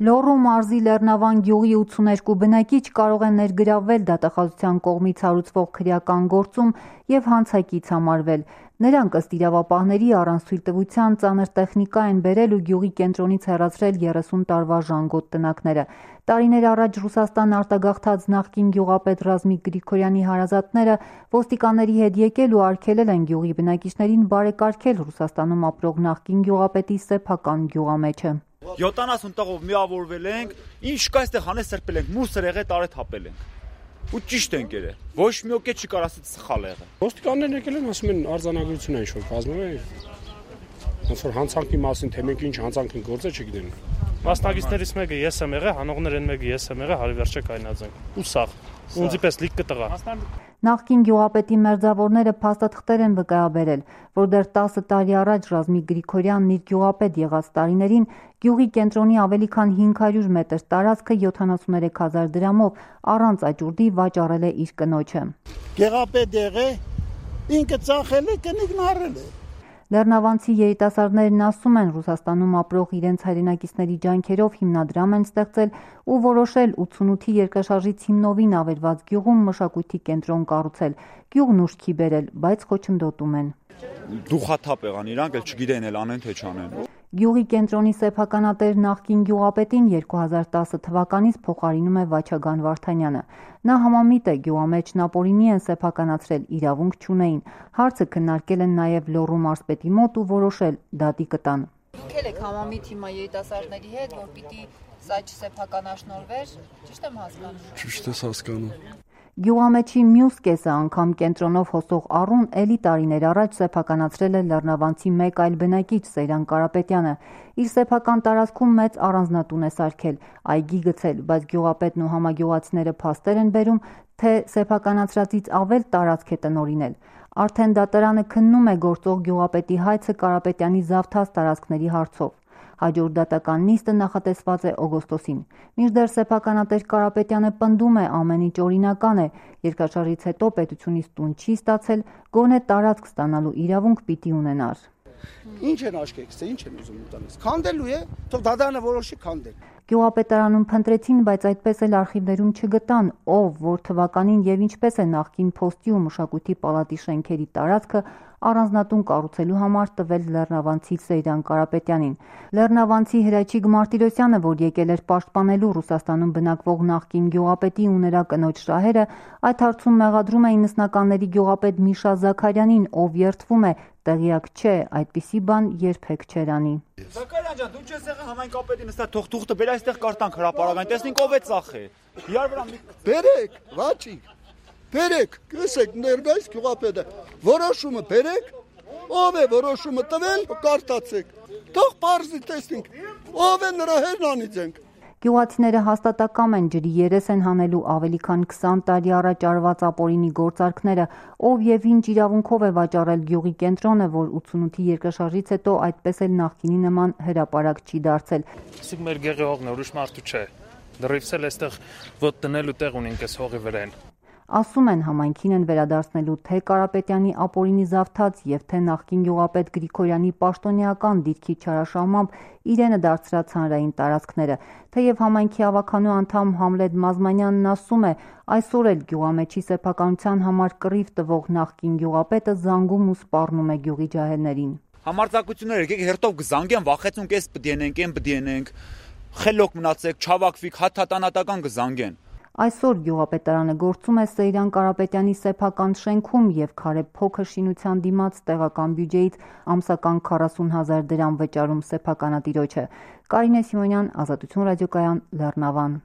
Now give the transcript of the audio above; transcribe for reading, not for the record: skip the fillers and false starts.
Լոռու մարզի Լեռնավան գյուղի 82 բնակիչ կարող են ներգրավվել դատախազության կողմից հարուցվող քրեական գործում և հանցակից համարվել։ Նրանք ըստ իրավապահների առանց թույլտվության ծանր տեխնիկա են բերել ու գյուղի կենտրոնից հեռացրել 30 տարվա ժանգոտ տնակները։ Տարիներ առաջ Ռուսաստան արտագաղթած նախկին գյուղապետ Ռազմիկ Գրիգորյանի հարազատները ոստիկանների հետ եկել ու արգելել են գյուղի բնակիչներին բարեկարգել Ռուսաստանում ապրող նախկին գյուղապետի սեփական գյուղամեջը։ 70 տղով միավորվել ենք, ինչ կա այստեղ հանես սրբել ենք, մուսր եղե տարե թափել ենք։ Ու ճիշտ ենք եղել։ Ոչ մի օկե չի կարող ասել սխալ եղել։ Ոստիկաններն եկել են, ասում են արձանագրություն են ինչ-որ կազմել։ Ոնց որ հանցանքի մասին, թե մենք ինչ հանցանք ենք գործել, չգիտեն։ Մասնագետներից մեկը ես եմ եղել, հանողներն մեկը ես եմ եղել, հարի վերջը կայնածենք։ Ու սաղ։ Ունձի պես լիք կտղա։ Նախկին գյուղապետի մերձավորները փաստաթղթեր են վկայաբերել, որ դեռ 10 տարի առաջ Ռազմիկ Գրիգորյանն իր գյուղապետ եղած տարիներին գյուղի կենտրոնի ավելի քան 500 մետր տարածքը 73,000 դրամով առանց աճուրդի վաճառել է իր կնոջը։ Գյուղապետ եղե, ինքը ծախել է, կնիկն առել է։ Լեռնավանցի երիտասարդներն ասում են Ռուսաստանում ապրող իրենց հայրենակիցների ջանքերով հիմնադրամ են ստեղծել ու որոշել 88-ի երկրաշարժից հիմնովին ավերված գյուղում մշակույթի կենտրոն կառուցել։ Գյուղն ուշքի բերել, բայց խոչընդոտում են։ Դուխաթափ եղան իրանք, էլ չգիտեն էլ անեն թե չանեն։ Գյուղի կենտրոնի սեփականատեր նախկին գյուղապետին 2010 թվականից փոխարինում է Վաչագան Վարդանյանը։ Նա համամիտ է գյուղամեջն ապօրինի են սեփականացրել, իրավունք չունեին։ Հարցը քննարկել են նաև Լոռու մարզպետի մոտ ու որոշել դատի կտան։ Դուք եք համամիտ հիմա երիտասարդների հետ, որ պիտի սա չսեփականաշնորվեր, ճիշտ եմ հասկանում։ Ճիշտ ես հասկանում։ Գյուղամեջի մյուս կեսը անգամ կենտրոնով հոսող առուն էլի տարիներ առաջ սեփականացրել է Լեռնավանցի մեկ այլ բնակիչ Սեյրան Կարապետյանը։ Իր սեփական տարածքում մեծ առանձնատուն է սարքել, այգի գցել, բայց գյուղապետն ու համագյուղացիները փաստեր են բերում, թե սեփականացրածից ավել տարածք է տնօրինել։ Արդեն դատարանը քննում է գործող գյուղապետի հայցը Կարապետյանի զավթած տարածքների հարցով։ Հաջորդ դատական նիստը նախատեսված է օգոստոսին։ Մինչդեռ սեփականատեր Կարապետյանը պնդում է ամեն ինչ օրինական է, երկրաշարժից հետո պետությունից տուն չի ստացել, գոնե տարածք ստանալու իրավունք պիտի ունենար։ Ինչ են աշկեքսը, ինչ են ուզում ուտանես։ Քանդելու է, թող դատարանը որոշի քանդել։ Գյուղապետարանում փնտրեցին, բայց այդպես էլ արխիվներում չգտան, ով, որ թվականին եւ ինչպես է նախկին փոստի ու մշակույթի պալատի շենքերի տարածքը առանձնատուն կառուցելու համար տվել Լեռնավանցի Սեյրան Կարապետյանին։ Լեռնավանցի Հրաչիկ Մարտիրոսյանը, որ եկել էր պաշտպանելու Ռուսաստանում բնակվող նախկին գյուղապետի ու նրա կնոջ շահերը, այդ հարցում մեղադրում էին նստականների գյուղապետ Միշա Զաքարյանին, ով երդվում է, տեղյակ չէ, այդպիսի բան երբեք չէր անի։ Զաքարյան ջան, դու չես եղել համայնքապետին նստած թող թուղթը բեր այստեղ կարտանք հրապարակային, տեսնենք ով է ծախել։ Իրար վրա Բերեք, Վաչիկ, բերեք, կսեք ներկայիս գյուղապետը, որոշումը բերեք, ով է որոշումը տվել, կարդացեք, թող պարզի տեսնենք, ով է նրա հերն անիծենք։ Գյուղացիները հաստատակամ են, ջրի երես են հանելու ավելի քան 20 տարի առաջ արված ապօրինի գործարքները, ով եւ ինչ իրավունքով է վաճառել գյուղի կենտրոնը, որ 88-ի երկրաշարժից հետո այդպես էլ նախկինի նման հրապարակ չի դարձել։ Իսկ մեր գեղի հողն է, ուրիշ մարդու չէ։ Դրիվս էլ այստեղ ոտ տնելու տեղ ունենք այս հողի վրան։ Ասում են համայնքին են վերադարձնելու թե Կարապետյանի ապօրինի զավթած եւ թե նախկին գյուղապետ Գրիգորյանի պաշտոնեական դիրքի չարաշահմամբ իրենը դարձրած հանրային տարածքները։ Թեև համայնքի ավականու անդամ Համլետ Մազմանյանն ասում է, այսօր էլ գյուղամեջի սեփականության համար կռիվ տվող նախկին գյուղապետը զանգում ու սպառնում է գյուղի ջահելներին։ Համարձակություններ եկեք հերթով կզանգեն, վախեցունք էս պդիենենք, այն պդիենենք, խելոք մնացեք, չավակվիկ, հաթաթանատական կզանգեն։ Այսօր գյուղապետարանը գործում է Սեյրան Կարապետյանի սեփական շենքում եւ քարե փոքր շինության դիմաց տեղական բյուջեից ամսական 40,000 դրամ վճարում սեփականատիրոջը։ Կարինե Սիմոնյան, Ազատություն ռադիոկայան, Լեռնավան։